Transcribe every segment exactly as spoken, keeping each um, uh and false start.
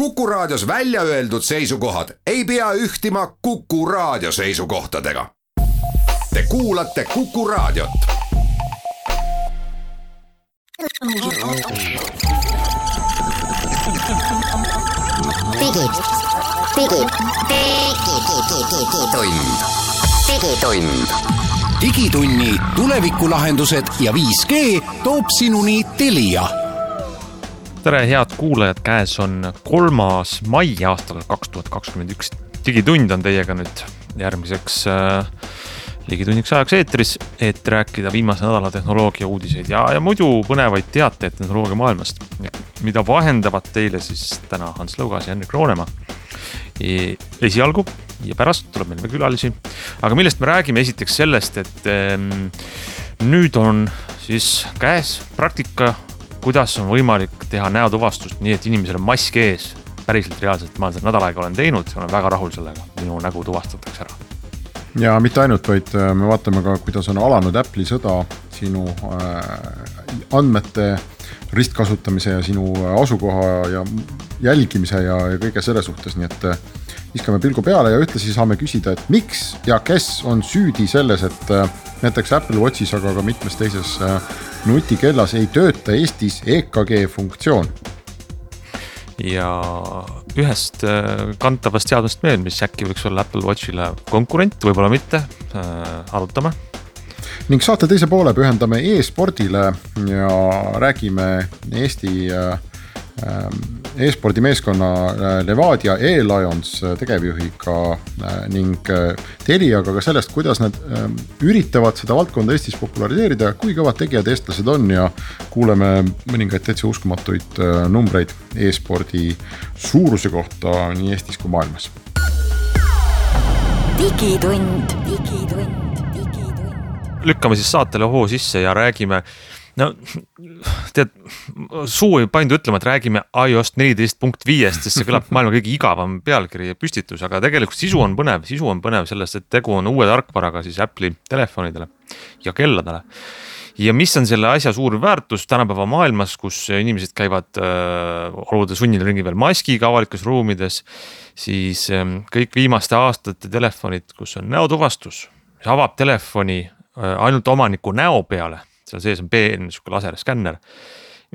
Kuku Raadios välja öeldud seisukohad ei pea ühtima Kuku Raadio seisukohtadega. Te kuulate Kuku Raadiot. Digi, digi, digitund, digitund. Digitunni tulevikulahendused ja viis G toob sinuni Telia. Tere head kuulajad, käes on kolmas mai aastal kaks tuhat kakskümmend üks. Digitund on teiega nüüd järgmiseks äh, ligitunniks ajaks eetris, et rääkida viimase nädala tehnoloogia uudiseid ja, ja muidu põnevaid teateid tehnoloogia maailmast, mida vahendavad teile siis täna Hans Lõugas ja Henrik Roonemaa e, esialgu ja pärast tuleb meil külalisi. Aga millest me räägime esiteks sellest, et ähm, nüüd on siis käes praktika, kuidas on võimalik teha näotuvastust nii, et inimesel on mask ees. Päriselt reaalselt ma olen nädal aega olen teinud ja olen väga rahul sellega. Minu nägu tuvastatakse ära. Ja mitte ainult, vaid me vaatame ka, kuidas on alanud Apple'i sõda sinu äh, andmete ristkasutamise ja sinu asukoha ja jälgimise ja, ja kõige selle suhtes. Nii et viskame pilgu peale ja ühtlasi saame küsida, et miks ja kes on süüdi selles, et näiteks Apple Watchis, aga ka mitmes teises nutikellas ei tööta Eestis E K G funktsioon. Ja ühest kantavast teadmist meil, mis äkki võiks olla Apple Watchile konkurent, võib-olla mitte, arutame. Ning saate teise poole pühendame e-spordile ja räägime Eesti e-spordi meeskonna Levadia E-Lions tegevjuhiga ning Teliaga ka sellest, kuidas nad üritavad seda valdkonda Eestis populariseerida, kui kõvad tegijad eestlased on ja kuuleme mõningaid täitsa uskumatuid numbreid e-spordi suuruse kohta nii Eestis kui maailmas. Digitund, digitund, digitund. Lükkame siis saatele hoo sisse ja räägime no, tead, suu ei paindu ütlema, et räägime iOS neliteist punkt viis, sest see kõlab maailma kõige igavam pealkiri ja püstitus, aga tegelikult sisu on põnev, sisu on põnev sellest, et tegu on uue tarkvaraga siis Apple'i telefonidele ja kelladele. Ja mis on selle asja suur väärtus tänapäeva maailmas, kus inimesed käivad äh, olude sunnil ringi veel maskiga avalikes ruumides, siis äh, kõik viimaste aastate telefonid, kus on näotuvastus, mis avab telefoni äh, ainult omaniku näo peale, seal sees on peen, laserskänner,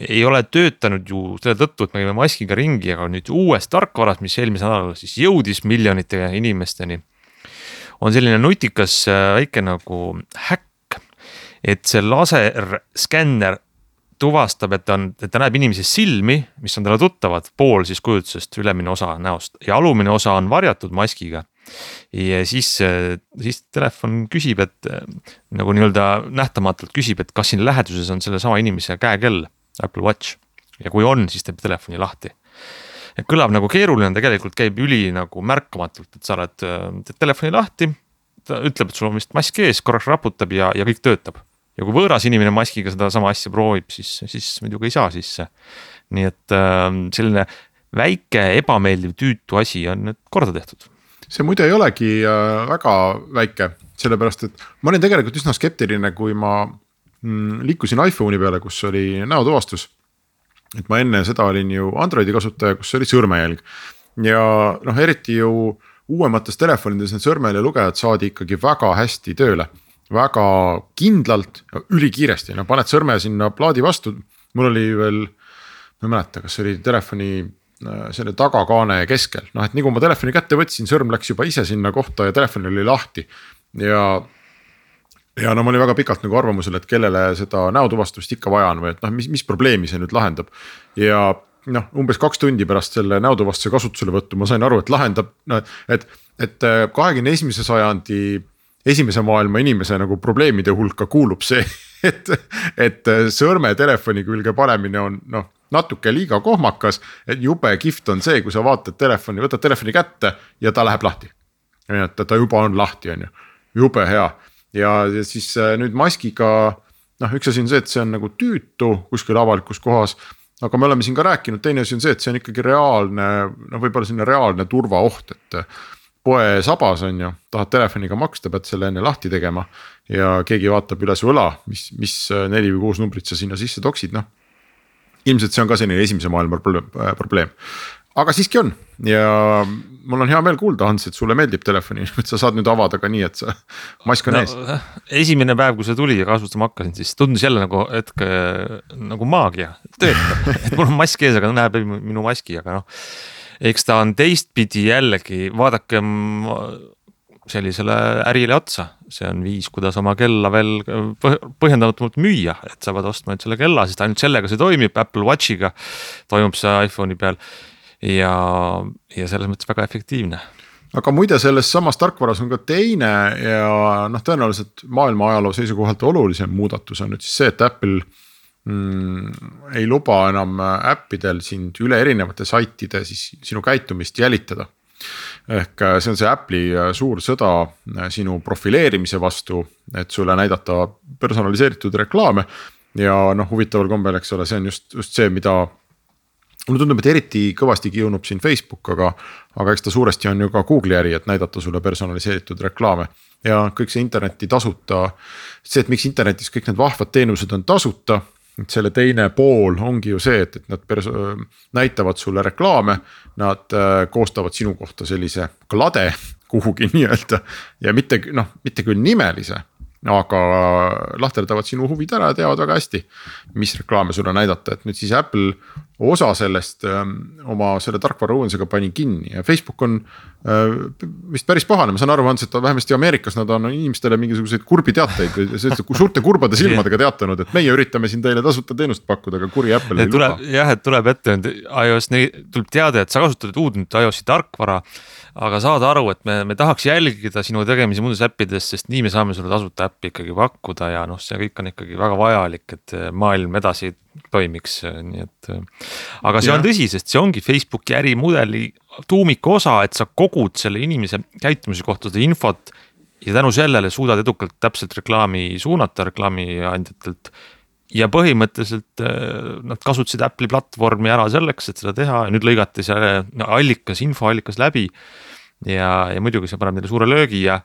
ei ole töötanud ju selle tõttu, et me käime maskiga ringi, aga nüüd uues tarkvaras, mis eelmise nädalal siis jõudis miljonite inimesteni, on selline nutikas väike nagu häkk, et see laserskänner tuvastab, et ta, on, et ta näeb inimese silmi, mis on talle tuttavad, pool siis kujutusest ülemine osa näost ja alumine osa on varjatud maskiga. Ja siis, siis telefon küsib, et nagu nii-öelda nähtamatult küsib, et kas siin läheduses on selle sama inimese käekell Apple Watch ja kui on, siis teeb telefoni lahti. Ja kõlab nagu keeruline, tegelikult käib üli nagu märkamatult, et sa oled teed telefoni lahti, ta ütleb, et sul on vist mask ees, korraks raputab ja, ja kõik töötab. Ja kui võõras inimene maskiga seda sama asja proovib, siis, siis muidugi ei saa sisse. Nii et selline väike ebameeldiv tüütu asi on nüüd korda tehtud. See muide ei olegi väga väike, sellepärast, et ma olen tegelikult üsna skeptiline, kui ma liikusin iPhone'i peale, kus oli näotuvastus. Et ma enne seda olin ju Androidi kasutaja, kus oli sõrmejälg. Ja noh, eriti ju uuemates telefonides need sõrmejälje lugejad saadi ikkagi väga hästi tööle. Väga kindlalt ja ülikiiresti. No, paned sõrme sinna plaadi vastu. Mul oli veel, ma ei mäleta, kas oli telefoni selle tagakaane keskel. No, et nii kui ma telefoni kätte võtsin, sõrm läks juba ise sinna kohta ja telefon oli lahti. Ja, ja no ma olin väga pikalt nagu arvamusel, et kellele seda näotuvastust ikka vaja on või et noh, mis, mis probleemi see nüüd lahendab. Ja noh, umbes kaks tundi pärast selle näotuvastuse kasutusele võttu ma sain aru, et lahendab, no, et, et kahekümne esimese sajandi esimese maailma inimese nagu probleemide hulka kuulub see, et, et sõrme telefoni külge panemine on noh, natuke liiga kohmakas, et jube kihvt on see, kui sa vaatad telefoni, võtad telefoni kätte ja ta läheb lahti. Et ta juba on lahti, on ju. Jube hea. Ja, ja siis nüüd maskiga, noh, üks asi on see, et see on nagu tüütu kuskil avalikus kohas, aga me oleme siin ka rääkinud, teine asi on see, et see on ikkagi reaalne, no võib-olla selline reaalne turvaoht, et poe sabas on ju, tahad telefoniga maksta, pead selle enne lahti tegema ja keegi vaatab üle su õla, mis, mis neli või kuus numbrit sa sinna sisse toksid, noh. Ilmselt see on ka selline esimese maailma probleem. aga siiski on ja mul on hea meel kuulda, Hans, et sulle meeldib telefoni, et sa saad nüüd avada ka nii, et sa mask on no, ees. Esimene päev, kui see tuli ja kasutama hakkasin, siis tundus jälle nagu hetke nagu maagia töötab, et mul on mask ees, aga näeb minu maski, aga noh, eks ta on teistpidi jällegi, vaadake sellisele ärile otsa, see on viis, kuidas oma kella veel põhjendamatult müüa, et sa pead ostma nüüd selle kella, sest ainult sellega see toimib, Apple Watchiga toimub see iPhone'i peal ja, ja selles mõttes väga efektiivne. Aga muide selles samas tarkvaras on ka teine ja noh, tõenäoliselt maailma ajaloo seisukohalt olulisem muudatus on nüüd siis see, et Apple mm, ei luba enam äppidel sind üle erinevate saitide siis sinu käitumist jälitada. Ehk see on see Apple'i suur sõda sinu profileerimise vastu, et sulle näidata personaliseeritud reklaame ja noh, huvitaval kombel, eks ole, see on just, just see, mida mulle tundub, et eriti kõvasti kiunub siin Facebook, aga, aga eks ta suuresti on ju ka Google'i äri, et näidata sulle personaliseeritud reklaame ja kõik see interneti tasuta, see, et miks internetis kõik need vahvad teenused on tasuta, et selle teine pool ongi ju see, et, et nad perso- näitavad sulle reklaame, nad äh, koostavad sinu kohta sellise klade kuhugi nii-öelda ja mitte, noh, mitte küll nimelise, aga lahterdavad sinu huvid ära ja teavad väga hästi, mis reklaame sulle näidata, et nüüd siis Apple osa sellest öö, oma selle tarkvara uuendusega pani kinni ja Facebook on öö, vist päris pahane, ma saan aru, et vähemasti Ameerikas nad on inimestele mingisuguseid kurbi teateid või suurte kurbade silmadega teatanud, et meie üritame siin teile tasuta teenust pakkuda, aga kuri Apple ei tuleb, luba. Jah, et tuleb ette, iOS tuleb teada, et sa kasutad uudnud iOS-i tarkvara, aga saad aru, et me, me tahaks jälgida sinu tegemisi muudes äppides, sest nii me saame sulle tasuta äppi ikkagi pakkuda ja noh, see kõik on ikkagi väga vajalik, et maailm edasi toimiks, nii et aga see ja. on tõsi, sest see ongi Facebooki ärimudeli tuumiku osa, et sa kogud selle inimese käitumise kohta seda infot ja tänu sellele suudad edukalt täpselt reklaami suunata reklaami andjatelt ja põhimõtteliselt nad kasutasid Apple'i platvormi ära selleks, et seda teha ja nüüd lõigati see allikas, infoallikas läbi ja, ja muidugi see paneb neile suure löögi ja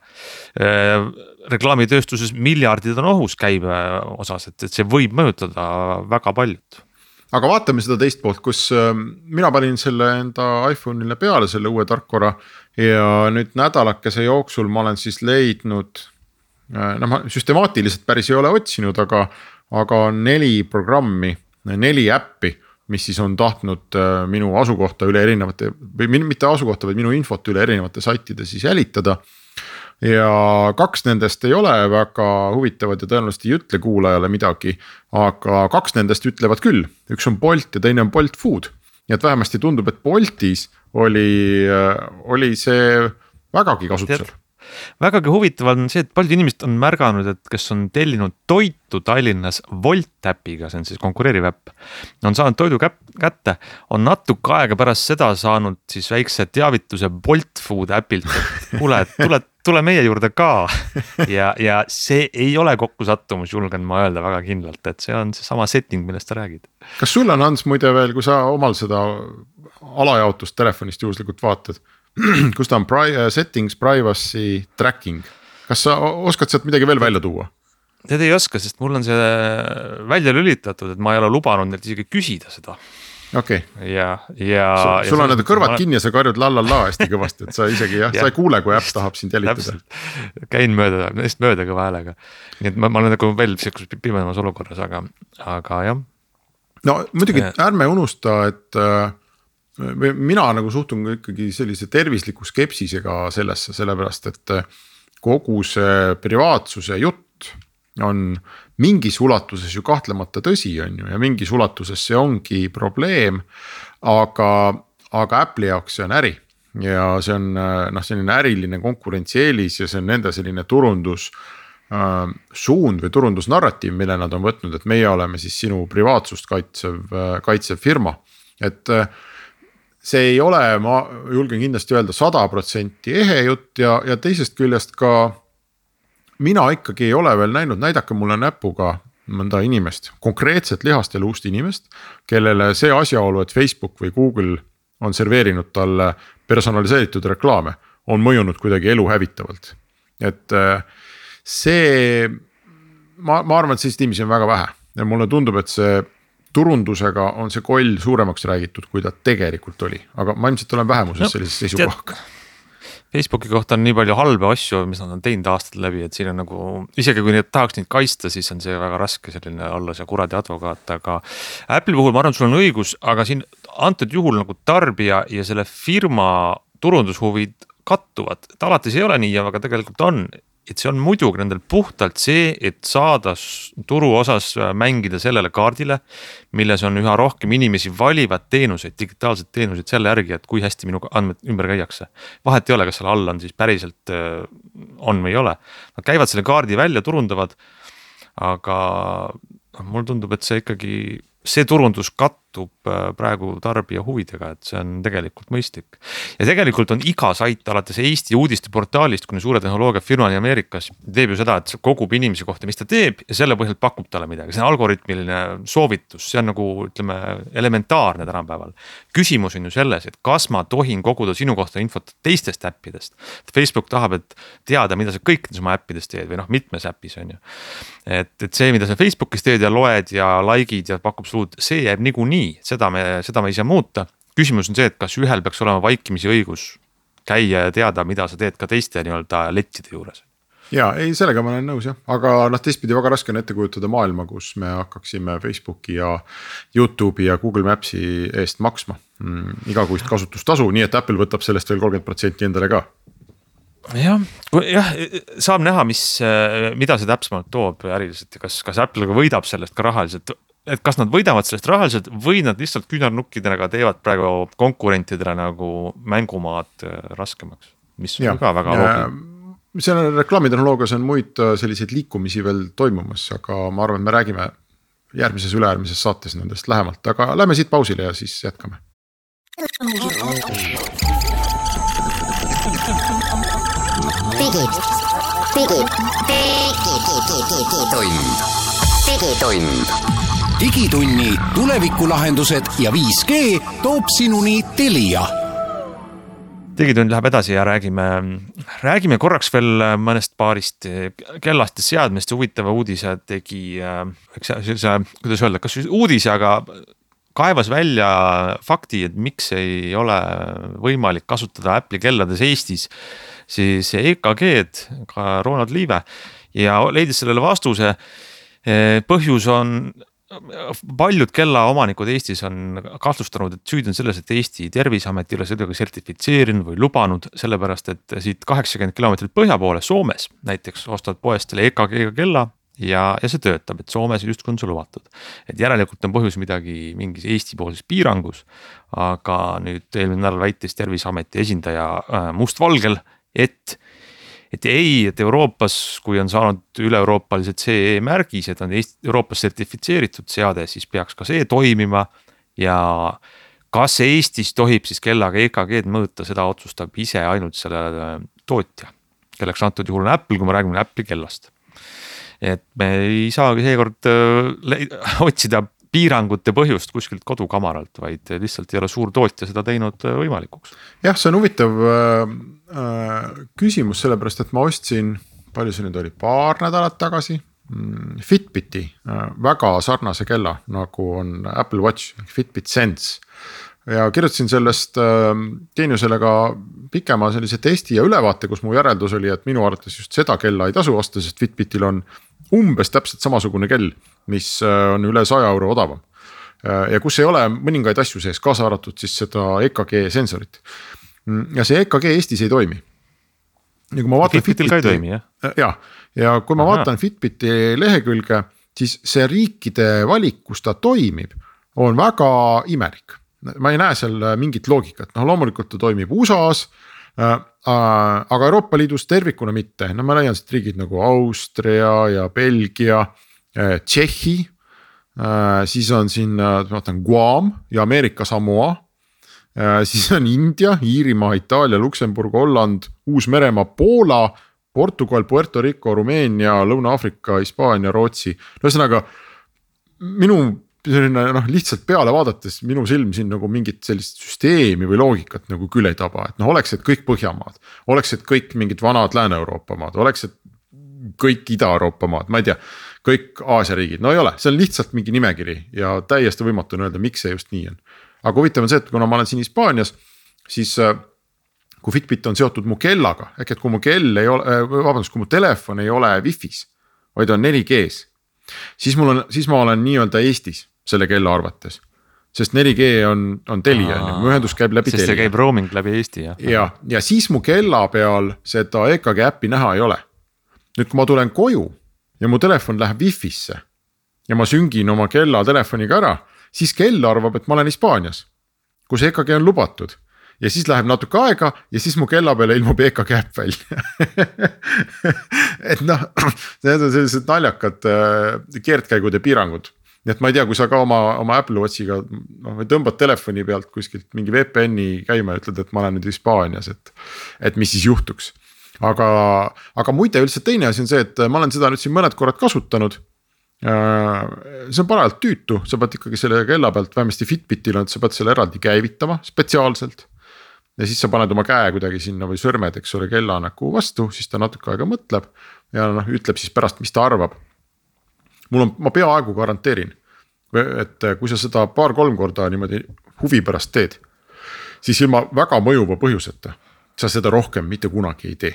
äh, reklaamitööstuses miljardid on ohus käibe osas, et, et see võib mõjutada väga paljud. Aga vaatame seda teist poolt, kus äh, mina panin selle enda iPhone'ile peale selle uue tarkvara ja nüüd nädalakese jooksul ma olen siis leidnud, äh, no ma süstemaatiliselt päris ei ole otsinud, aga, aga neli programmi, neli äppi, mis siis on tahtnud äh, minu asukohta üle erinevate, või mitte asukohta, vaid minu infot üle erinevate saitide siis jälitada. Ja kaks nendest ei ole väga huvitavad ja tõenäoliselt ei ütle kuulajale midagi, aga kaks nendest ütlevad küll, üks on Bolt ja teine on Bolt Food. Ja et vähemasti tundub, et Boltis oli, oli see vägagi kasutusel. Vägagi huvitav on see, et paljud inimesed on märganud, et kes on tellinud toitu Tallinnas Volt äpiga, see on siis konkureeriv äpp, on saanud toidu kätte, on natuke aega pärast seda saanud siis väikse teavituse Bolt Food äpilt, kuule, tule, tule meie juurde ka ja, ja see ei ole kokkusattumus, julgen ma öelda väga kindlalt, et see on see sama setting, millest sa räägid. Kas sul on, Hans, muide veel, kui sa omal seda alajaotust telefonist juhuslikult vaatad, kus ta on pri- settings, privacy, tracking. Kas sa oskad sealt midagi veel välja tuua? Tead ei oska, sest mul on see välja lülitatud, et ma ei ole lubanud neilt isegi küsida seda. Okay. Ja, ja, sul, sul ja on need kõrvad kinni ja sa karjud lallalla hästi kõvasti, et sa isegi jah, ja. sa ei kuule, kui äpp tahab sind jälitada. Käin mööda, neist mööda kõva häälega. Nii et ma, ma olen nagu veel pimedamas olukorras, aga, aga jah. No muidugi ärme unusta, et mina nagu suhtun ikkagi sellise tervisliku skepsisega sellesse, sellepärast, et kogu see privaatsuse jutt on mingis ulatuses ju kahtlemata tõsi on ju ja mingis ulatuses see ongi probleem, aga, aga Apple'i jaoks see on äri ja see on noh, selline äriline konkurentsieelis ja see on nende selline turundus äh, suund või turundusnarratiiv, mille nad on võtnud, et meie oleme siis sinu privaatsust kaitsev, kaitsev firma, et äh, see ei ole, ma julgen kindlasti öelda sada protsenti ehe jutt ja, ja teisest küljest ka mina ikkagi ei ole veel näinud, näidake mulle näpuga mõnda inimest, konkreetset lihast ja luust inimest, kellele see asjaolu, et Facebook või Google on serveerinud talle personaliseeritud reklaame, on mõjunud kuidagi elu hävitavalt. Et see, ma, ma arvan, et sellist inimesi on väga vähe ja mulle tundub, et see turundusega on see koll suuremaks räägitud, kui ta tegelikult oli, aga ma ilmselt olen vähemuses no, sellises seisukohaga. Facebooki kohta on nii palju halbe asju, mis nad on teinud aastad läbi, et siin on nagu, isegi kui need tahaks neid kaista, siis on see väga raske selline olla see kuradi advokaat, aga Apple'i puhul ma arvan, sul on õigus, aga siin antud juhul nagu tarbija ja selle firma turundushuvid kattuvad, et alates ei ole nii, aga tegelikult on, et see on muidugi nendel puhtalt see, et saada turu osas mängida sellele kaardile, milles on üha rohkem inimesi valivad teenuseid, digitaalsed teenuseid selle järgi, et kui hästi minu andmed ümber käiakse. Vahet ei ole, kas selle all on siis päriselt on või ei ole. Nad käivad selle kaardi välja, turundavad, aga mul tundub, et see ikkagi, see turundus kattub praegu tarbija huvidega, et see on tegelikult mõistlik. Ja tegelikult on iga sait alates Eesti uudiste portaalist, kuni suure tehnoloogia firmani Ameerikas teeb ju seda, et kogub inimese kohta, mis ta teeb ja selle põhjalt pakub talle midagi. See on algoritmiline soovitus, see on nagu ütleme elementaarne tänapäeval. Küsimus on ju selles, et kas ma tohin koguda sinu kohta infot teistest äppidest. Facebook tahab, et teada, mida sa kõikides oma äppidest teed või noh, mitmes äppis on ju. Et, et see, mida sa Facebookis teed ja loed ja likeid ja pakub suud, see jääb nigu nii. Seda me, seda me ei saa muuta. Küsimus on see, et kas ühel peaks olema vaikimisi õigus käia ja teada, mida sa teed ka teiste nii-öelda lettide juures. Ja ei, sellega ma olen nõus jah, aga noh, teistpidi väga raske on ette kujutada maailma, kus me hakkaksime Facebooki ja YouTube'i ja Google Maps'i eest maksma mm, igakuist kasutustasu, nii et Apple võtab sellest veel kolmkümmend protsenti endale ka. jah, jah, saab näha, mis, mida see täpsemalt toob äriliselt ja kas, kas Apple võidab sellest ka rahaliselt, et kas nad võidavad sellest rahaliselt või nad lihtsalt küünarnukkidega teevad praegu konkurentidele nagu mängumaad raskemaks, mis on ja, ka väga loogiline. Selle reklaamitehnoloogias on muid selliseid liikumisi veel toimumas, aga ma arvan, et me räägime järgmises üleäärmises saates nendest lähemalt, aga lähme siit pausile ja siis jätkame. Digid, digid, digitund, digitund. Digitunni tulevikulahendused ja viis G toob sinuni Telia. Digitund läheb edasi ja räägime, räägime korraks veel mõnest paarist kellast ja seadmest. Huvitava uudise tegi, see, kuidas öelda, kas uudise, aga kaevas välja fakti, et miks ei ole võimalik kasutada Apple'i kellades Eestis, siis E K G-d, ka Ronald Liive, ja leidis sellele vastuse. Põhjus on, paljud kella omanikud Eestis on kahtlustanud, et süüd on selles, et Eesti Terviseamet ei ole seda sertifitseerinud või lubanud, sellepärast, et siit kaheksakümmend kilomeetrit põhja poole Soomes näiteks ostad poest selle E K G kella ja, ja see töötab, et Soomes just on see lubatud. Et järelikult on põhjus midagi mingis Eesti poolses piirangus, aga nüüd eelmine nädal väitis Terviseameti esindaja mustvalgel, et et ei, et Euroopas, kui on saanud üle-euroopalised C E märgis, et on Eesti, Euroopas sertifitseeritud seade, siis peaks ka see toimima ja kas Eestis tohib siis kellaga E K G-d mõõta, seda otsustab ise ainult selle tootja, kelleks antud juhul on Apple, kui me räägime Apple'i kellast. Et me ei saagi seekord otsida piirangute põhjust kuskilt kodukamaralt, vaid lihtsalt ei ole suur tootja seda teinud võimalikuks. Jah, see on huvitav äh, küsimus, sellepärast, et ma ostsin, palju see nüüd oli, paar nädalat tagasi, Fitbiti äh, väga sarnase kella, nagu on Apple Watch, Fitbit Sense. Ja kirjutasin sellest äh, teenusele ka pikema sellise testi ja ülevaate, kus mu järeldus oli, et minu arvates just seda kella ei tasu osta, sest Fitbitil on umbes täpselt samasugune kell, mis on üle saja euro odavam. Ja kus ei ole mõningaid asju sees, kaasa arvatud siis seda E K G sensorit. Ja see E K G Eestis ei toimi. Ja kui ma vaatan Fitbitil ka ei toimi, jah? Ja, ja kui ma Aha. vaatan Fitbiti lehekülge, siis see riikide valik, kus ta toimib, on väga imelik. Ma ei näe seal mingit loogikat. No, loomulikult ta toimib U S A-s, aga Euroopa Liidus tervikuna mitte. No ma leian siit riigid nagu Austria ja Belgia, Tšehhi, siis on siin vaatan, Guam ja Ameerika Samoa, siis on India, Iirimaa, Itaalia, Luksemburg, Holland, Uus-Meremaa, Poola, Portugal, Puerto Rico, Rumeenia, Lõuna-Afrika, Hispaania, Rootsi. Ühesõnaga, minu selline, noh, lihtsalt peale vaadates minu silm siin nagu mingit sellist süsteemi või loogikat nagu küll ei taba, et noh, oleks, et kõik Põhjamaad, oleks, et kõik mingid vanad Lääne-Euroopa maad, oleks, et kõik Ida-Euroopa maad, ma ei tea, kõik Aasia riigid, no ei ole, see on lihtsalt mingi nimekiri ja täiesti võimatu on öelda, miks see just nii on. Aga huvitav on see, et kuna ma olen siin Hispaanias, siis kui Fitbit on seotud mu kellaga, ehk et kui mu kell ei ole, vabandust, kui mu telefon ei ole Wi-Fi's, vaid on neli G's, siis mul on, siis ma olen nii-öelda Eestis selle kella arvates. Sest neli G on, on Telia, mu ühendus käib läbi Telia. Sest see käib roaming läbi Eesti, jah. Ja, ja siis mu kella peal seda E K G äppi näha ei ole. Nüüd kui ma tulen koju ja mu telefon läheb Wi-Fi'sse ja ma süngin oma kella telefoniga ära, siis kell arvab, et ma olen Hispaanias, kus E K G on lubatud. Ja siis läheb natuke aega ja siis mu kella peale ilmub E K G äpp välja. Et noh, need on sellised naljakad keerdkäigud ja piirangud. Nii et ma ei tea, kui sa ka oma, oma Apple Watchiga no, või tõmbad telefoni pealt kuskilt mingi V P N-i käima ja ütled, et ma olen nüüd Hispaanias, et, et mis siis juhtuks. Aga, aga muide üldse teine asi on see, et ma olen seda nüüd siin mõned korrad kasutanud. See on parajalt tüütu, sa pead ikkagi selle kella pealt, vähemasti Fitbitil on, et sa pead selle eraldi käivitama spetsiaalselt. Ja siis sa paned oma käe kuidagi sinna või sõrmed, eks ole, kella nagu vastu, siis ta natuke aega mõtleb ja noh, ütleb siis pärast, mis ta arvab. Mul on, ma peaaegu garanteerin, et kui sa seda paar-kolm korda niimoodi huvi pärast teed, siis ilma väga mõjuva põhjuseta sa seda rohkem mitte kunagi ei tee.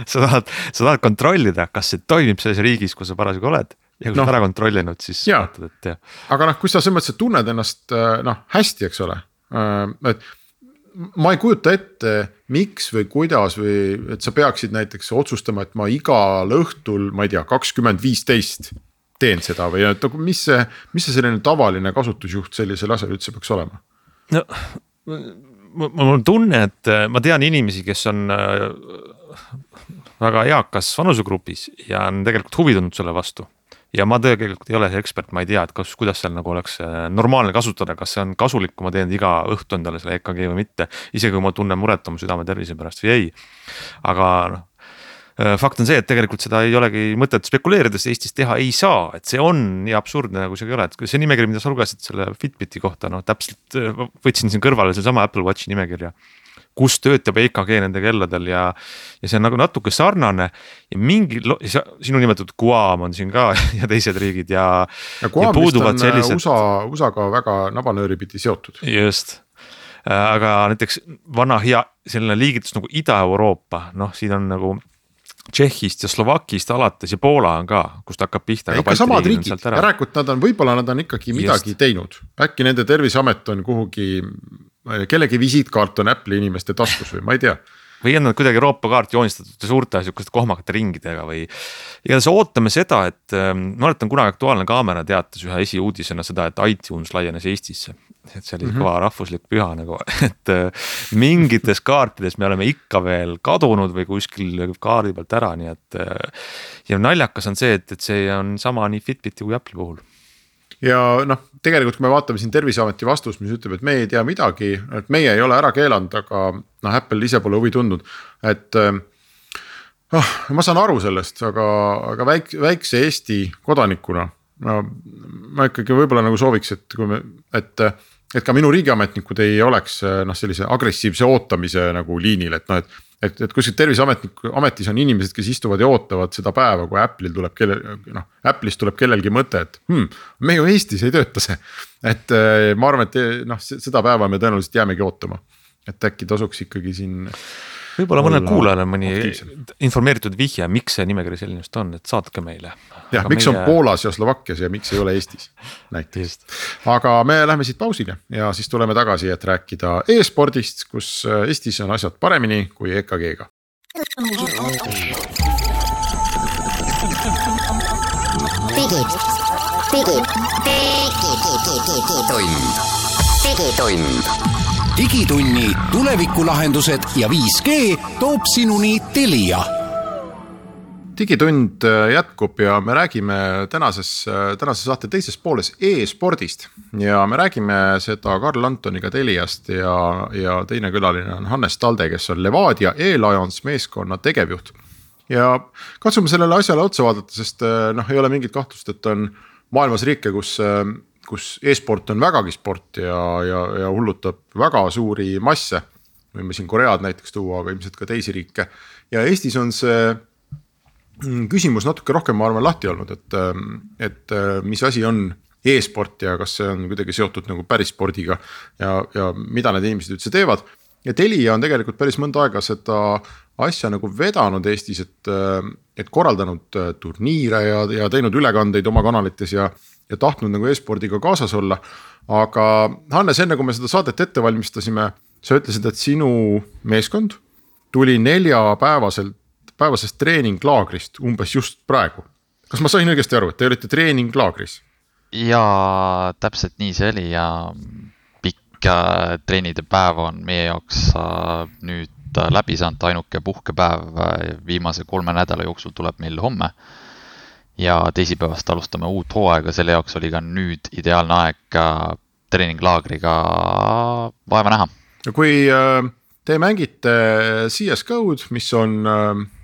sa, tahad, sa tahad kontrollida, kas see toimib selles riigis, kus sa parasjagu oled ja kui no, sa ära kontrollinud, siis vaatad, et jah. Aga noh, kui sa selles mõttes tunned ennast noh, hästi, eks ole, et ma ei kujuta ette, miks või kuidas või et sa peaksid näiteks otsustama, et ma igal õhtul, ma ei tea, kakskümmend viisteist teen seda või et mis see, mis see selline tavaline kasutusjuht sellisel asjal üldse peaks olema? No, mul on tunne, et ma tean inimesi, kes on väga eakas vanusegrupis ja on tegelikult huvi tundnud selle vastu. Ja ma tegelikult ei ole see ekspert, ma ei tea, et kas, kuidas seal nagu oleks normaalne kasutada, kas see on kasulik, kui ma teen iga õhtu endale selle E K G või mitte, isegi kui ma tunnen muret oma südame tervise pärast või ei. Aga noh, fakt on see, et tegelikult seda ei olegi mõtet spekuleerides Eestis teha ei saa, et see on nii absurdne, nagu see ei ole, et see nimekiri, mida sa lugesid selle Fitbiti kohta, no täpselt võtsin siin kõrvale see sama Apple Watchi nimekirja, kus töötab E K G nende kelladel ja, ja see on nagu natuke sarnane ja mingi, sinu nimetatud Guam on siin ka ja teised riigid ja, ja Guam vist on sellised... USA, USA-ga väga nabanööri pidi seotud. Just. Aga näiteks vana hea selline liigitus nagu Ida-Euroopa, noh siin on nagu Tšehhist ja Slovakist alates ja Poola on ka, kust hakkab pihta. Ja ikka samad riigid, järelikult nad on, võib-olla nad on ikkagi midagi Just. Teinud. Äkki nende terviseamet on kuhugi, kellegi visiitkaart on Apple'i inimeste taskus või ma ei tea. Või on nad kuidagi Euroopa kaart joonistatud suurte sihukeste kohmakate ringidega või igatahes ootame seda, et ma oletan kunagi Aktuaalne Kaamera teatas ühe esiuudisena seda, et iTunes laienes Eestisse. Et see oli mm-hmm. kõva rahvuslik püha nagu, et mingites kaartides me oleme ikka veel kadunud või kuskil kaardi pealt ära, nii et ja naljakas on see, et, et see on sama nii Fitbiti kui Apple'i puhul. Ja noh, tegelikult kui me vaatame siin Terviseameti vastus, mis ütleb, et meie ei tea midagi, et meie ei ole ära keelanud, aga noh, Apple ise pole huvi tundnud, et oh, ma saan aru sellest, aga, aga väik, väikse Eesti kodanikuna no, ma ikkagi võib-olla nagu sooviks, et kui me, et et ka minu riigiametnikud ei oleks noh, sellise agressiivse ootamise nagu liinil, et noh, et et, et kuskilt terviseametniku ametis on inimesed, kes istuvad ja ootavad seda päeva, kui Apple'il tuleb kelle, noh, Apple'ist tuleb kellelgi mõte, et hmm, me ju Eestis ei tööta see. Et ma arvan, et noh, seda päeva me tõenäoliselt jäämegi ootama, et äkki tasuks ikkagi siin võib-olla mõnel kuulajale mõni informeeritud vihje, miks see nimekiri selline just on, et saatke meile. Jah, miks meie... on Poolas ja Slovakkias ja miks ei ole Eestis näiteks. Aga me lähme siit pausile ja siis tuleme tagasi, et rääkida e-spordist, kus Eestis on asjad paremini kui E K G-ga. Digid, digid, digitund, digitund. Digitunni tulevikulahendused ja viis G toob sinuni Telia. Digitund jätkub ja me räägime tänases, tänases saate teises pooles e-spordist ja me räägime seda Karl Antoniga Teliast ja, ja teine külaline on Hannes Talde, kes on Levadia E-Lions meeskonna tegevjuht. Ja katsume sellele asjale otsa vaadata, sest noh, ei ole mingit kahtlust, et on maailmas riike, kus kus e-sport on vägagi sport ja, ja, ja hullutab väga suuri masse. Võime siin Koread näiteks tuua, aga ilmselt ka teisi riike. Ja Eestis on see küsimus natuke rohkem ma arvan lahti olnud, et, et mis asi on e-sport ja kas see on kuidagi seotud nagu päris spordiga ja, ja mida need inimesed üldse teevad. Ja Telia on tegelikult päris mõnda aega seda asja nagu vedanud Eestis, et, et korraldanud turniire ja, ja teinud ülekandeid oma kanalites ja, ja tahtnud nagu e-spordiga kaasas olla. Aga Hannes, enne kui me seda saadet ette valmistasime, sa ütlesid, et sinu meeskond tuli neljapäevaselt, päevasest treeninglaagrist umbes just praegu. Kas ma sain õigesti aru, et te olite treeninglaagris? Ja täpselt nii see oli ja pikk treenide päev on meie jaoks nüüd läbi saanud, ainuke puhkepäev viimase kolme nädala jooksul tuleb meil homme. Ja teisipäevast alustame uut hooaega, selle jaoks oli ka nüüd ideaalne aeg treeninglaagriga vaeva näha. Kui te mängite C S G O-d, mis on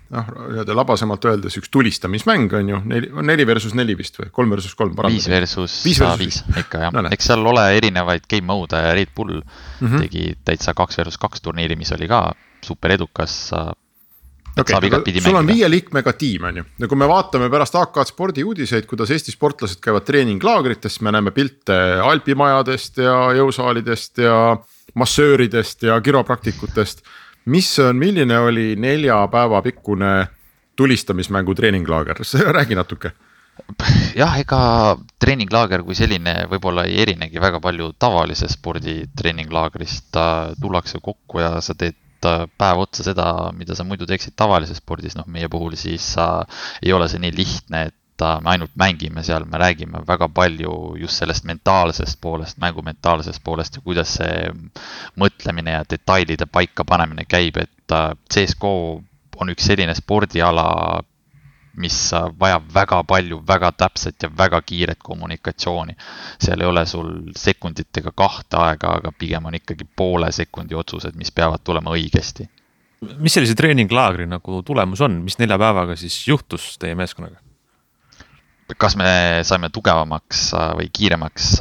noh, labasemalt öeldes üks tulistamismäng on ju, neli versus neli vist või kolm versus kolm viis versus viis ikka jah, no, eks seal ole erinevaid game mode, Red Bull mm-hmm. tegi täitsa kaks versus kaks turniiri, mis oli ka super edukas. Okay, sul on viie liikmega tiim on ju, ja kui me vaatame pärast A K spordi uudiseid, kuidas Eesti sportlased käivad treeninglaagritest, me näeme pilte alpimajadest ja jõusaalidest ja massööridest ja kiropraktikutest. Mis on, milline oli nelja päeva pikkune tulistamismängu treeninglaager? Räägi natuke. Jah, ega treeninglaager kui selline võib-olla ei erinegi väga palju tavalise spordi treeninglaagrist. Tullakse kokku ja sa teed päev otsa seda, mida sa muidu teeksid tavalises spordis. No, meie puhul siis äh, ei ole see nii lihtne, et äh, me ainult mängime seal, me räägime väga palju just sellest mentaalsest poolest, mängu mentaalsest poolest ja kuidas see mõtlemine ja detailide paika panemine käib, et äh, C S G O on üks selline spordiala, mis vajab väga palju, väga täpset ja väga kiiret kommunikatsiooni. Seal ei ole sul sekunditega kahte aega, aga pigem on ikkagi poole sekundi otsused, mis peavad tulema õigesti. Mis sellise treeninglaagri nagu tulemus on? Mis nelja päevaga siis juhtus teie meeskonnaga? Kas me saime tugevamaks või kiiremaks?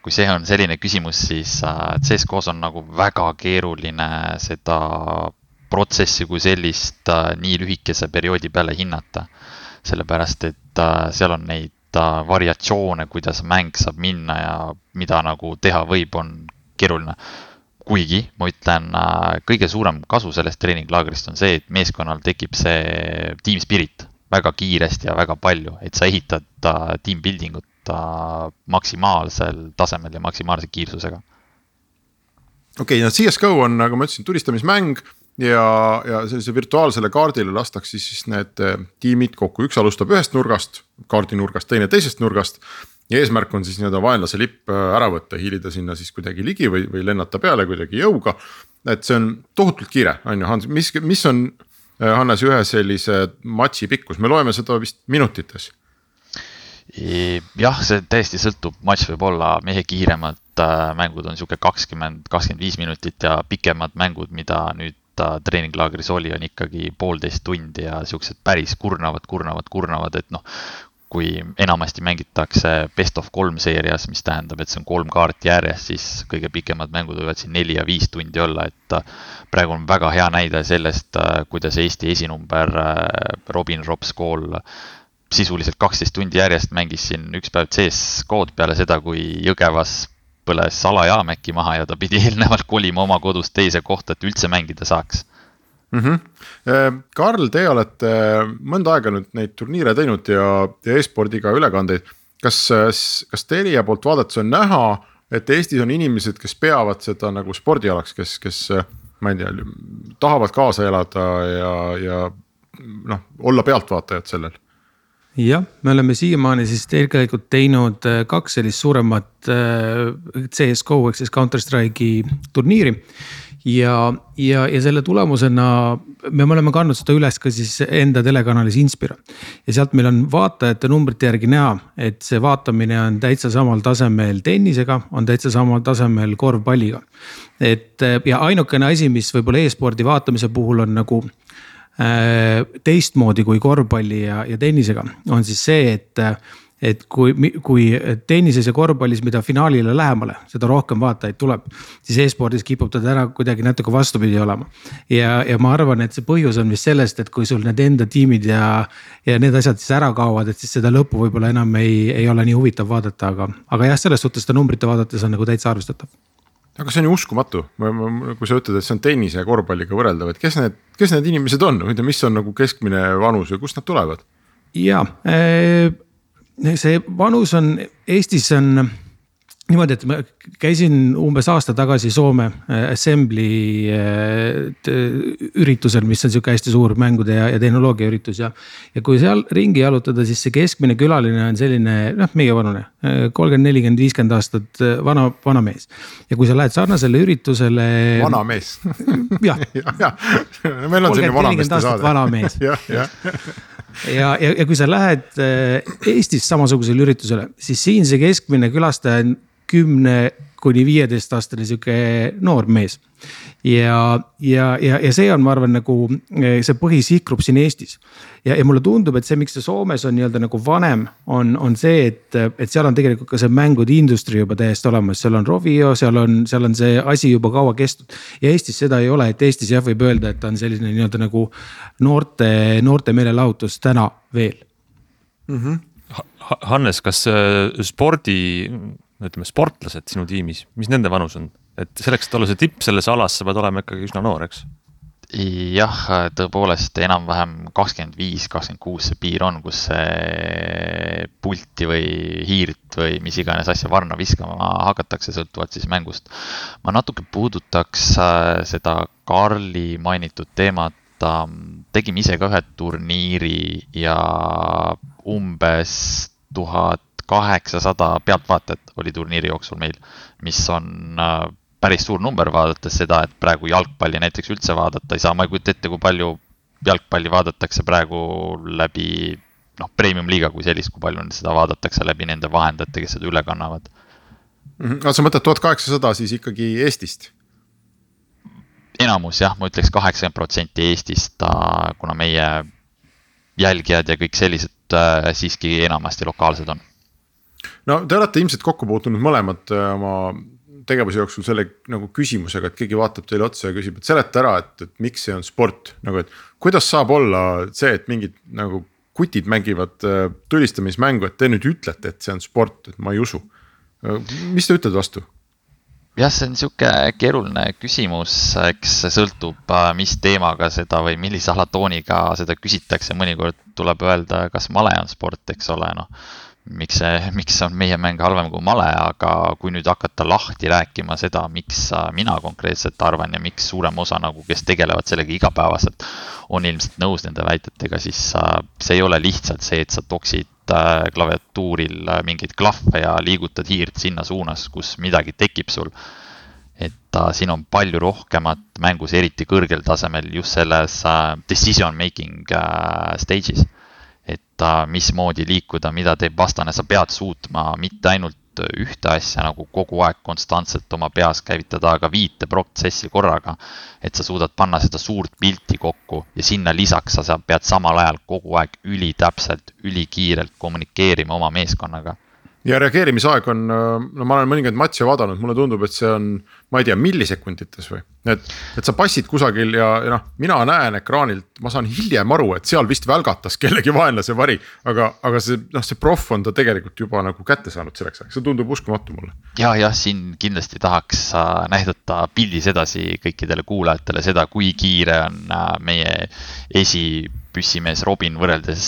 Kui see on selline küsimus, siis C S G O's on nagu väga keeruline seda protsessi kui sellist nii lühikese perioodi peale hinnata. Sellepärast, et seal on neid variatsioone, kuidas mäng saab minna ja mida nagu teha võib, on keeruline. Kuigi, ma ütlen, kõige suurem kasu sellest treeninglaagrist on see, et meeskonnal tekib see team spirit väga kiiresti ja väga palju, et sa ehitad team buildingut maksimaalsel tasemel ja maksimaalse kiirsusega. Okei, okay, C S G O on, nagu ma ütlesin, tulistamismäng ja, ja sellise virtuaalsele kaardile lastakse siis need tiimid kokku. Üks alustab ühest nurgast, kaardi nurgast, teine teisest nurgast ja eesmärk on siis nii-öelda vaenlase lipp ära võtta, hiilida sinna siis kuidagi ligi või, või lennata peale kuidagi jõuga. Et see on tohutult kiire, on ju, Hans, mis, mis on Hannes ühe sellise matši pikkus? Me loeme seda vist minutites. Jah, see täiesti sõltub, matš võib olla mehe kiiremad mängud on siuke kakskümmend kakskümmend viis minutit ja pikemad mängud, mida nüüd treeninglaagris oli, on ikkagi poolteist tundi ja siuksed päris kurnavad, kurnavad, kurnavad, et noh, kui enamasti mängitakse best of kolm seerias, mis tähendab, et see on kolm kaarti järjest, siis kõige pikemad mängud võivad siin neli ja viis tundi olla, et praegu on väga hea näide sellest, kuidas Eesti esinumber Robin Robskool sisuliselt kaksteist tundi järjest mängis siin üks päev C S G O'd peale seda, kui Jõgevas põles Salajaamäki maha ja ta pidi eelnevalt kolima oma kodust teise kohta, et üldse mängida saaks. Mm-hmm. Karl, te olete mõnda aega nüüd neid turniire teinud ja, ja e-spordiga ülekandeid. Kas, kas Telia poolt vaadates on näha, et Eestis on inimesed, kes peavad seda nagu spordialaks, kes, kes ma ei tea, tahavad kaasa elada ja, ja noh, olla pealtvaatajad sellel? Jah, me oleme siiamaani siis tegelikult teinud kaks sellist suuremat C S G O ehk siis Counter-Strike'i turniiri ja, ja, ja selle tulemusena me oleme kandnud seda üles ka siis enda telekanalis Inspira ja sealt meil on vaatajate numbrite järgi näha, et see vaatamine on täitsa samal tasemel tennisega, on täitsa samal tasemel korvpalliga. Et, ja ainukene asi, mis võib-olla e-spordi vaatamise puhul on nagu teistmoodi kui korvpalli ja, ja tennisega on siis see, et, et kui, kui tennises ja korvpallis, mida finaalile lähemale, seda rohkem vaatajaid tuleb, siis e-spordis kipub ta täna kuidagi natuke vastupidi olema. Ja, ja ma arvan, et see põhjus on vist sellest, et kui sul need enda tiimid ja, ja need asjad siis ära kaovad, et siis seda lõppu võib-olla enam ei, ei ole nii huvitav vaadata, aga, aga jah, selles suhtes seda numbrite vaadates on nagu täitsa arvestatav. Aga see on ju uskumatu, kui sa ütled, et see on tennise ja korvpalliga võrreldav, et kes need, kes need inimesed on, mis on nagu keskmine vanus ja kust nad tulevad? Ja, see vanus on, Eestis on niimoodi, et ma käisin umbes aasta tagasi Soome Assembly üritusel, mis on siuke hästi suur mängude ja, ja tehnoloogia üritus ja, ja kui seal ringi jalutada, siis see keskmine külaline on selline, noh, meie vanune, kolmkümmend, nelikümmend, viiskümmend aastat vana, vana mees. Ja kui sa lähed sarnasele üritusele. Vana mees. Jah. ja, ja. Meil on selline vana meeste saade. Vana mees. ja, ja. Ja, ja, ja kui sa lähed Eestis samasugusele üritusele, siis siin see keskmine külastaja on kümne kuni viieteist aastane siuke noor mees. Ja, ja, ja, ja see on, ma arvan, nagu see põhisihtgrupp siin Eestis. Ja, ja mulle tundub, et see, miks see Soomes on nii-öelda nagu vanem, on, on see, et, et seal on tegelikult ka see mängude industri juba täiesti olemas. Seal on Rovio, seal on, seal on see asi juba kaua kestnud. Ja Eestis seda ei ole, et Eestis jah võib öelda, et on selline nii-öelda nagu noorte, noorte meelelahutus täna veel. Mm-hmm. Hannes, kas spordi... ütleme, sportlased sinu tiimis, mis nende vanus on? Et selleks, et olla see tipp selles alas, sa pead olema ikkagi üsna noor, eks? Jah, tõepoolest enam-vähem kakskümmend viis kakskümmend kuus see piir on, kus see pulti või hiirt või mis iganes asja varna viskama hakatakse, sõltuvalt siis mängust. Ma natuke puudutaks seda Karli mainitud teemat. Tegime ise ka ühe turniiri ja umbes tuhat kaheksasada pealtvaatajat oli turniiri jooksul meil, mis on päris suur number vaadates seda, et praegu jalgpalli näiteks üldse vaadata ei saa. Ma ei kujuta ette, kui palju jalgpalli vaadatakse praegu läbi noh, premium liiga kui sellist, kui palju seda vaadatakse läbi nende vahendajate, kes seda üle kannavad. Aga sa mõtled tuhat kaheksasada siis ikkagi Eestist? Enamus jah, ma ütleks kaheksakümmend protsenti Eestist, kuna meie jälgijad ja kõik sellised siiski enamasti lokaalsed on. No te olete ilmselt kokku puutunud mõlemad oma tegevuse jooksul selle nagu küsimusega, et keegi vaatab teile otsa ja küsib, et seleta ära, et, et miks see on sport. Nagu, et kuidas saab olla see, et mingid nagu kutid mängivad tulistamismängu, et te nüüd ütlete, et see on sport, et ma ei usu. Mis te ütled vastu? Jah, see on siuke keeruline küsimus, eks sõltub mis teemaga seda või millise alatooniga seda küsitakse. Mõnikord tuleb öelda, kas male on sport, eks ole, noh. Miks, see, miks on meie mäng halvem kui male, aga kui nüüd hakata lahti rääkima seda, miks mina konkreetselt arvan ja miks suurem osa, nagu, kes tegelevad sellega igapäevaselt, on ilmselt nõus nende väitetega, siis see ei ole lihtsalt see, et sa toksid klaviatuuril mingid klahve ja liigutad hiirt sinna suunas, kus midagi tekib sul. Et uh, siin on palju rohkemat mängus, eriti kõrgel tasemel just selles uh, decision making uh, stages. Et uh, mismoodi liikuda, mida teeb vastane, sa pead suutma mitte ainult ühte asja nagu kogu aeg konstantselt oma peas käivitada, aga viite protsessi korraga, et sa suudad panna seda suurt pilti kokku ja sinna lisaks sa pead samal ajal kogu aeg üli täpselt, üli kiirelt kommunikeerima oma meeskonnaga. Ja reageerimisaeg on, no ma olen mõningaid matše vaadanud, mulle tundub, et see on, ma ei tea, millisekundites või, et, et sa passid kusagil ja, ja noh, mina näen ekraanilt, ma saan hiljem aru, et seal vist välgatas kellegi vaenlase vari, aga, aga see, noh, see proff on ta tegelikult juba nagu kätte saanud selleks, see tundub uskumatu mulle. Ja, ja siin kindlasti tahaks näidata pildis edasi kõikidele kuulajatele seda, kui kiire on meie esi püssimees Robin võrreldes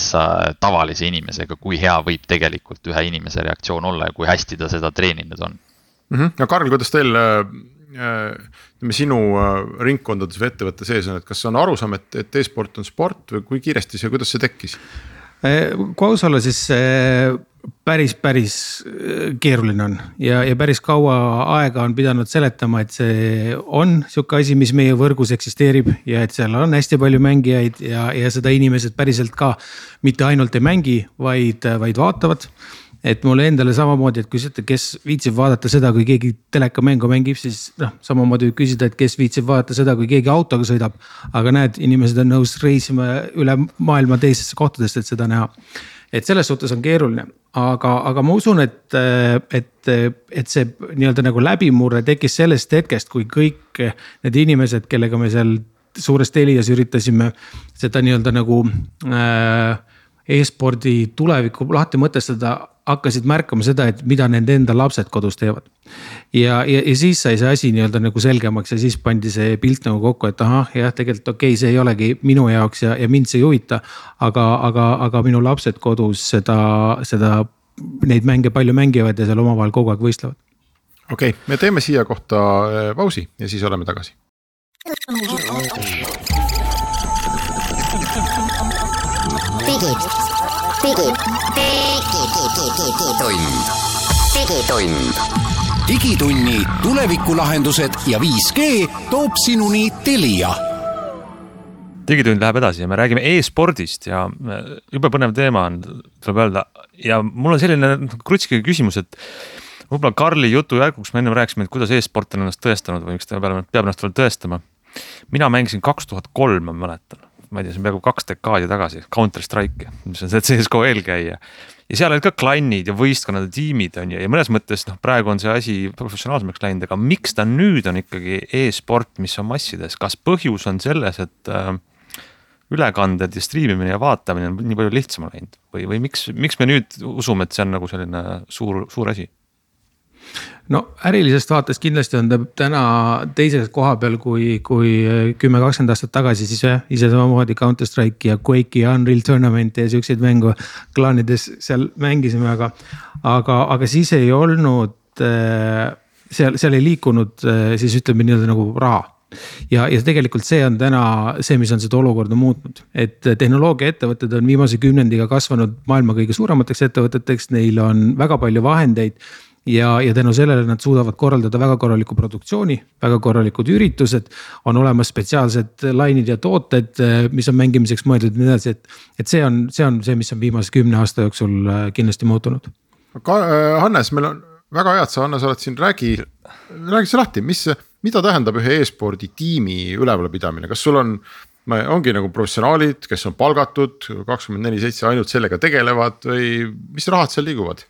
tavalise inimesega, kui hea võib tegelikult ühe inimese reaktsioon olla ja kui hästi ta seda treeninud on. Mm-hmm. Ja Karl, kuidas teil äh, sinu ringkondades või ettevõtte sees on, et kas on arusaam, et, et e-sport on sport või kui kiiresti see, kuidas see tekkis? Kui aus olla, siis päris, päris keeruline on ja, ja päris kaua aega on pidanud seletama, et see on siuke asi, mis meie võrgus eksisteerib ja et seal on hästi palju mängijaid ja, ja seda inimesed päriselt ka mitte ainult ei mängi, vaid, vaid vaatavad. Et mulle endale samamoodi, et kui küsite, kes viitsib vaadata seda, kui keegi telekamängu mängib, siis noh, samamoodi küsida, et kes viitsib vaadata seda, kui keegi autoga sõidab. Aga näed, inimesed on nõus reisima üle maailma teisesse kohtadest, et seda näha. et selles suhtes on keeruline, aga, aga ma usun, et, et, et see nii-öelda nagu läbimurre tekkis sellest hetkest, kui kõik need inimesed, kellega me seal suures Telias üritasime seda nii-öelda nagu äh, e-spordi tulevikku lahti mõtestada, hakkasid märkama seda, et mida nende enda lapsed kodus teevad. Ja, ja, ja siis sai see asi nii-öelda nagu selgemaks ja siis pandi see pilt nagu kokku, et ahah, jah, tegelikult okei, see ei olegi minu jaoks ja, ja mind see ei huvita, aga, aga, aga minu lapsed kodus seda, seda, neid mänge palju mängivad ja seal omavahel kogu aeg võistlevad. Okei, me teeme siia kohta pausi ja siis oleme tagasi. Digid, digid, digitund, digitund. Digitunni tulevikulahendused ja viis G toob sinuni Telia. Digitund läheb edasi ja me räägime e-spordist ja jube põnev teema on, tuleb öelda. Ja mul on selline krutski küsimus, et võib-olla Karli jutu järguks me enne rääkisime, et kuidas e-sport on ennast tõestanud või miks ta peab ennast veel tõestama. Mina mängisin kaks tuhat kolm, ma mäletan. Ma ei tea, see on peaaegu kaks dekaadi tagasi, Counter Strike, mis on see C S G O eelkäija. Ja seal olid ka klannid ja võistkonnad ja tiimid on ja mõnes mõttes noh, praegu on see asi professionaalsemaks läinud, aga miks ta nüüd on ikkagi e-sport, mis on massides? Kas põhjus on selles, et äh, ülekanded ja striimimine ja vaatamine on nii palju lihtsama läinud? Või, või miks, miks me nüüd usume, et see on nagu selline suur, suur asi? No ärilisest vaates kindlasti on ta täna teises koha peal kui, kui kümme kakskümmend aastat tagasi, siis ise samamoodi Counter Strike ja Quake ja Unreal Tournament ja selliseid mängu klaanides seal mängisime, aga, aga, aga siis ei olnud, seal, seal ei liikunud siis ütleme nii-öelda nagu raha. Ja, ja tegelikult see on täna see, mis on seda olukorda muutnud, et tehnoloogia ettevõtted on viimase kümnendiga kasvanud maailma kõige suuremateks ettevõteteks, neil on väga palju vahendeid ja, ja tänu sellele nad suudavad korraldada väga korraliku produktsiooni, väga korralikud üritused, on olemas spetsiaalsed lainid ja tooted, mis on mängimiseks mõeldud ja nii edasi, et, et see on, see on see, mis on viimase kümne aasta jooksul kindlasti muutunud. Hannes, meil on väga hea, et sa Hannes oled siin, räägi, räägi see lahti, mis, mida tähendab ühe e-spordi tiimi ülevalpidamine, kas sul on, ongi nagu professionaalid, kes on palgatud kakskümmend neli seitse ainult sellega tegelevad või mis rahad seal liiguvad?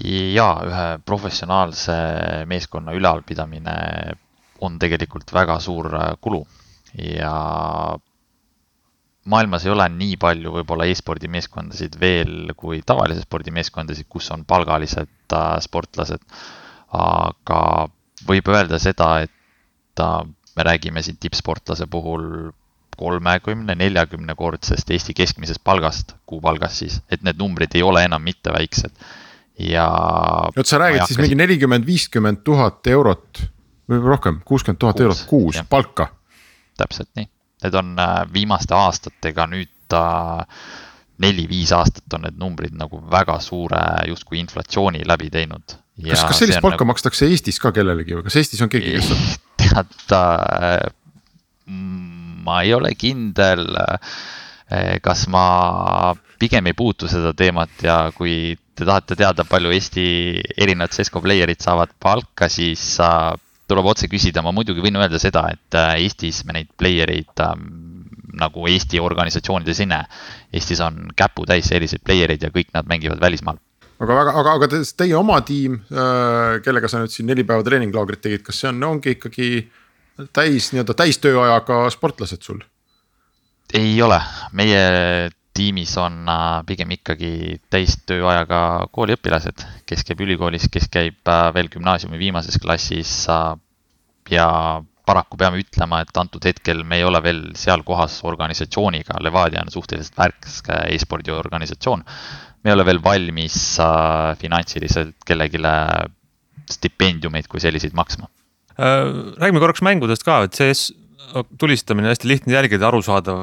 Ja ühe professionaalse meeskonna ülevalpidamine on tegelikult väga suur kulu ja maailmas ei ole nii palju võib-olla e-spordi meeskondasid veel kui tavalise spordi meeskondasid, kus on palgalised sportlased, aga võib öelda seda, et me räägime siin tippsportlase puhul kolmekümne neljakümne kordsest Eesti keskmisest palgast, kuupalgast siis, et need numbrid ei ole enam mitte väiksed. Ja Jot, sa räägid siis mingi nelikümmend viiskümmend tuhat eurot või rohkem, kuuskümmend tuhat eurot kuus ja. Palka. Täpselt nii. Need on viimaste aastatega nüüd neli-viis aastat on need numbrid nagu väga suure justkui inflatsiooni läbi teinud. Ja kas, kas sellist palka nagu... makstakse Eestis ka kellelegi või kas Eestis on keegi, kes on? Tead, ma ei ole kindel, kas ma pigem ei puutu seda teemat ja kui te tahate teada, palju Eesti erinevad C S G O playerid saavad palka, siis tuleb otse küsida. Ma muidugi võin öelda seda, et Eestis me neid playereid nagu Eesti organisatsioonides ei näe. Eestis on käpu täis selliseid playereid ja kõik nad mängivad välismaal. Aga, aga, aga, aga teie oma tiim, kellega sa nüüd siin neli päeva treeninglaagrit tegid, kas see on, ongi ikkagi täis, nii-öelda täis tööajaga sportlased sul? Ei ole. Meie tiimis on pigem ikkagi täis tööajaga kooliõpilased, kes käib ülikoolis, kes käib veel gümnaasiumi viimases klassis ja paraku peame ütlema, et antud hetkel me ei ole veel seal kohas organisatsiooniga. Levadia on suhteliselt värske e-spordi organisatsioon. Me ei ole veel valmis finantsiliselt kellegile stipendiumeid kui selliseid maksma. Räägime korraks mängudest ka, et see tulistamine hästi lihtne jälgida, arusaadav,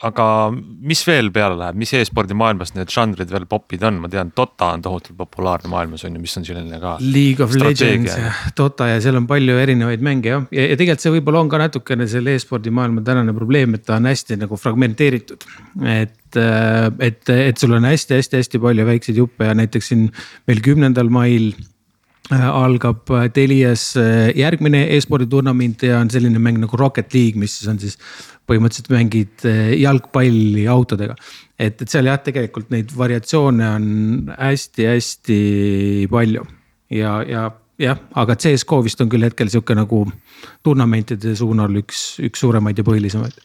aga mis veel peale läheb, mis e-spordi maailmas need žanrid veel popid on? Ma tean, Dota on tohutult populaarne maailmas, on ju, mis on selline ka League of Legends ja Dota ja seal on palju erinevaid mänge ja, ja, ja tegelikult see võib-olla on ka natukene selle e-spordi maailma tänane probleem, et ta on hästi nagu fragmenteeritud, et, et, et sul on hästi-hästi-hästi palju väikseid juppe ja näiteks siin meil kümnendal mail algab Telias järgmine e-spordi turnament ja on selline mäng nagu Rocket League, mis on siis põhimõtteliselt mängid jalgpalli autodega. Et, et seal jah, tegelikult neid variatsioone on hästi-hästi palju ja, ja jah, aga C S G O vist on küll hetkel siuke nagu turnamentide suunal üks, üks suuremaid ja põhilisemaid.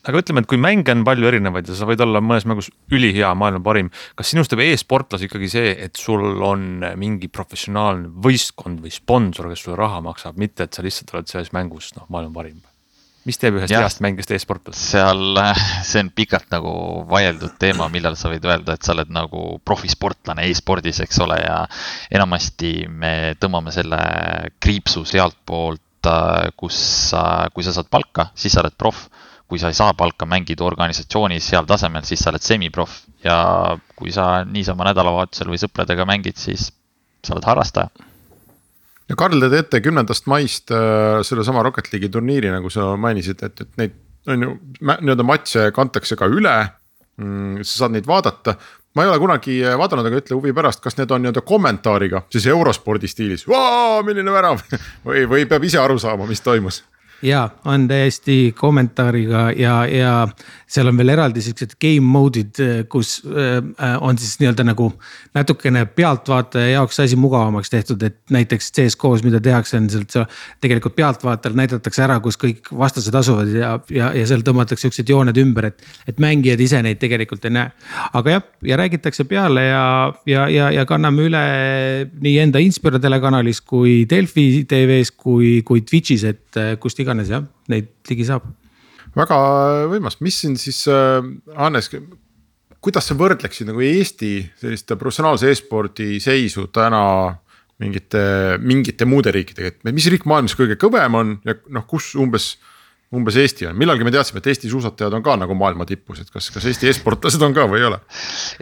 Aga ütleme, et kui mänge on palju erinevaid ja sa võid olla mõnes mängus ülihea, maailma parim, kas sinust teeb e-sportlas ikkagi see, et sul on mingi professionaalne võistkond või sponsor, kes sulle raha maksab, mitte et sa lihtsalt oled selles mängus no, maailma parim? Mis teeb ühest heast mängist e-sportlas? Seal see on pikalt nagu vaieldud teema, millal sa võid öelda, et sa oled nagu profisportlane e-spordis, eks ole, ja enamasti me tõmbame selle kriipsu sealt poolt, kus kui sa saad palka, siis sa oled prof. Kui sa ei saa palka, mängid organisatsioonis seal tasemel, siis sa oled semiprof ja kui sa niisama nädalavahetusel või sõpradega mängid, siis sa oled harrastaja. Ja Karl, te teete kümnendast maist äh, selle sama Rocket League'i turniiri, nagu sa mainisid, et, et neid on ju nii-öelda matše kantakse ka üle, mm, sa saad neid vaadata. Ma ei ole kunagi vaadanud, aga ütle huvi pärast, kas need on nii-öelda kommentaariga, siis eurospordi stiilis, vaa, milline värav või, või peab ise aru saama, mis toimus? Ja on täiesti kommentaariga ja, ja seal on veel eraldi sellised game mode'id, kus on siis nii-öelda nagu natukene pealtvaataja jaoks asi mugavamaks tehtud, et näiteks C S G O's, mida tehakse, on sealt tegelikult pealtvaatajal näidatakse ära, kus kõik vastased asuvad ja, ja, ja seal tõmmatakse üksed jooned ümber, et, et mängijad ise neid tegelikult ei näe. Aga jah, ja räägitakse peale ja, ja, ja, ja kanname üle nii enda Inspira telekanalis kui Delfi T V's kui, kui Twitch'is, et kust iganes jah, neid ligi saab. Väga võimas, mis siin siis, Hannes, kuidas sa võrdleksid nagu Eesti selliste professionaalse e-spordi seisu täna mingite, mingite muude riikidega, et mis riik maailmas kõige kõvem on ja noh, kus umbes, umbes Eesti on? Millalgi me teadsime, et Eesti suusatajad on ka nagu maailma tippus, et kas, kas Eesti e-sportlased on ka või ei ole?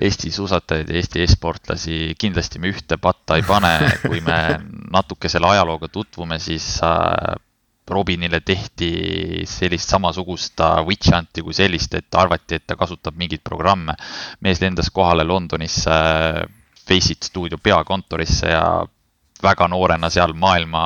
Eesti suusatajaid ja Eesti e-sportlasi kindlasti me ühte patta ei pane, kui me natuke selle ajalooga tutvume, siis Robinile tehti sellist samasugust witch hunti kui sellist, et arvati, et ta kasutab mingid programme. Mees lendas kohale Londonis Faceit stuudio peakontorisse ja väga noorena seal maailma,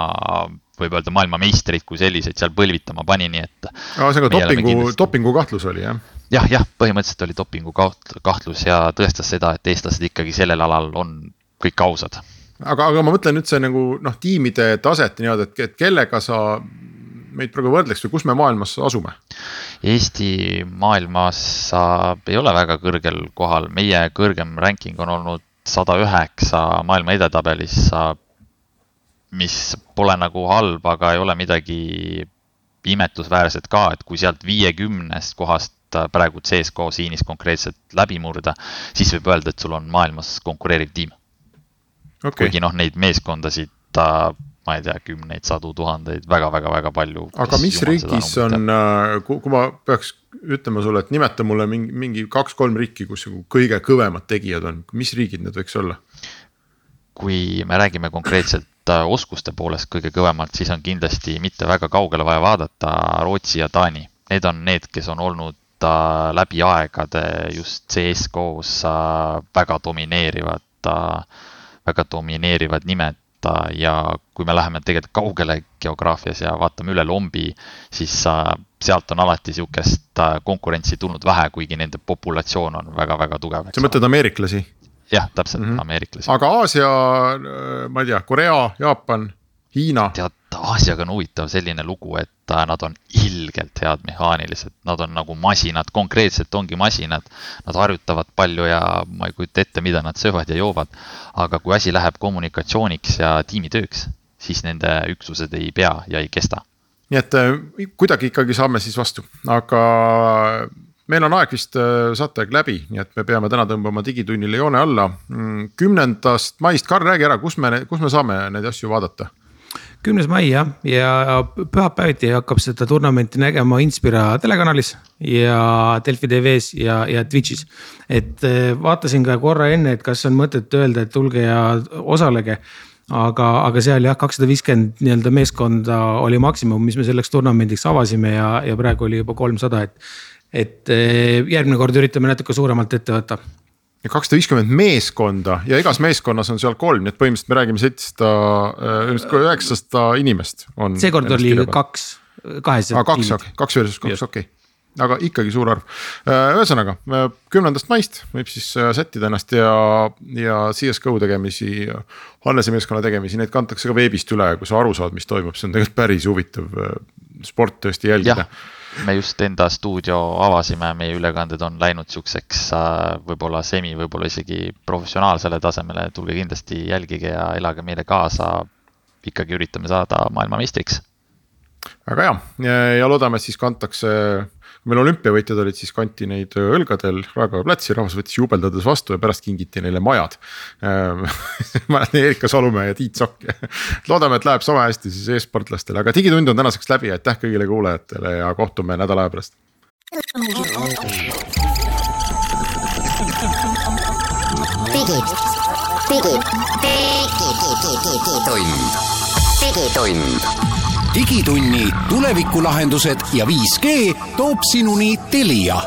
võib öelda maailma meistrid kui selliseid seal põlvitama pani, nii et... Aa, see on ka dopingu, kindlasti... dopingu kahtlus oli, jah? Jah, jah, põhimõtteliselt oli dopingu kahtlus ja tõestas seda, et eestlased ikkagi sellel alal on kõik ausad. Aga, aga ma mõtlen nüüd see nagu noh, tiimide taset nii, et, et kellega sa meid praegu võrdleks või kus me maailmas asume? Eesti maailmas ei ole väga kõrgel kohal. Meie kõrgem ranking on olnud sada üheksa maailma edetabelis, mis pole nagu halb, aga ei ole midagi imetlusväärset ka, et kui sealt viiekümnest kohast praegu C S G O siinis konkreetselt läbi murda, siis võib öelda, et sul on maailmas konkureeriv tiim. Okay. Kuigi noh, neid meeskondasid, ma ei tea, kümneid, sadu tuhandeid, väga-väga-väga palju. Aga mis riigis on, kui ma peaks ütlema sulle, et nimeta mulle mingi, mingi kaks-kolm riiki, kus kõige kõvemad tegijad on, mis riigid need võiks olla? Kui me räägime konkreetselt oskuste poolest kõige kõvemalt, siis on kindlasti mitte väga kaugele vaja vaadata Rootsi ja Taani. Need on need, kes on olnud läbi aegade just C S G O's väga domineerivad väga domineerivad nimed ja kui me läheme tegelikult kaugele geograafias ja vaatame üle lombi, siis sealt on alati siukest konkurentsi tulnud vähe, kuigi nende populatsioon on väga-väga tugev. Sa mõtled ameeriklasi? Jah, täpselt mm -hmm. ameeriklasi. Aga Aasia, ma ei tea, Korea, Jaapan, Hiina? Tead, Aasiaga on huvitav selline lugu, et nad on ilgelt head mehaanilised. Nad on nagu masinad, konkreetselt ongi masinad. Nad harjutavad palju ja ma ei kujuta ette, mida nad söövad ja joovad. Aga kui asi läheb kommunikatsiooniks ja tiimitööks, siis nende üksused ei pea ja ei kesta. Nii et kuidagi ikkagi saame siis vastu. Aga meil on aeg vist saateaeg läbi, nii et me peame täna tõmbama digitunnile joone alla. Kümnendast maist, Karl, räägi ära, kus me, kus me saame neid asju vaadata? kümnes mai jah, ja pühapäeviti hakkab seda turnamenti nägema Inspira telekanalis ja Delfi T V's ja, ja Twitch'is. Et vaatasin ka korra enne, et kas on mõtet öelda, et tulge ja osalege. Aga, aga seal jah, kakssada viiskümmend nii-öelda meeskonda oli maksimum, mis me selleks turnamendiks avasime ja, ja praegu oli juba kolmsada, et, et järgmine kord üritame natuke suuremalt ette võtta. kakssada viiskümmend meeskonda ja igas meeskonnas on seal kolm, nii et põhimõtteliselt me räägime seitsesada, üheksasada inimest on. Seekord oli kaks, kahes ah, kaks, okay. kaks versus kaks, okei okay. Aga ikkagi suur arv. Ühesõnaga, kümnendast maist võib siis sättida ennast ja, ja C S G O tegemisi, Hannese meeskonna tegemisi, neid kantakse ka veebist üle, kui sa aru saad, mis toimub, see on tegelikult päris huvitav sport tõesti jälgida. Ja, me just enda stuudio avasime, meie ülekanded on läinud siukseks võib-olla semi, võib-olla isegi professionaalsele tasemele, tulge kindlasti jälgige ja elage meile kaasa, ikkagi üritame saada maailmameistriks. Väga hea ja loodame, et siis kantakse, kui meil olümpiavõitjad olid, siis kanti neid õlgadel Raekoja platsi, rahvas võttis jubeldades vastu ja pärast kingiti neile majad. Ma olen Erika Salumäe ja Tiit Sokk. Loodame, et läheb sama hästi siis e-sportlastele, aga digitund on tänaseks läbi, aitäh kõigile kuulajatele ja kohtume nädala aja pärast. Digit, digit, digitund, digitund. Digitunni tulevikulahendused ja viis G toob sinuni Telia.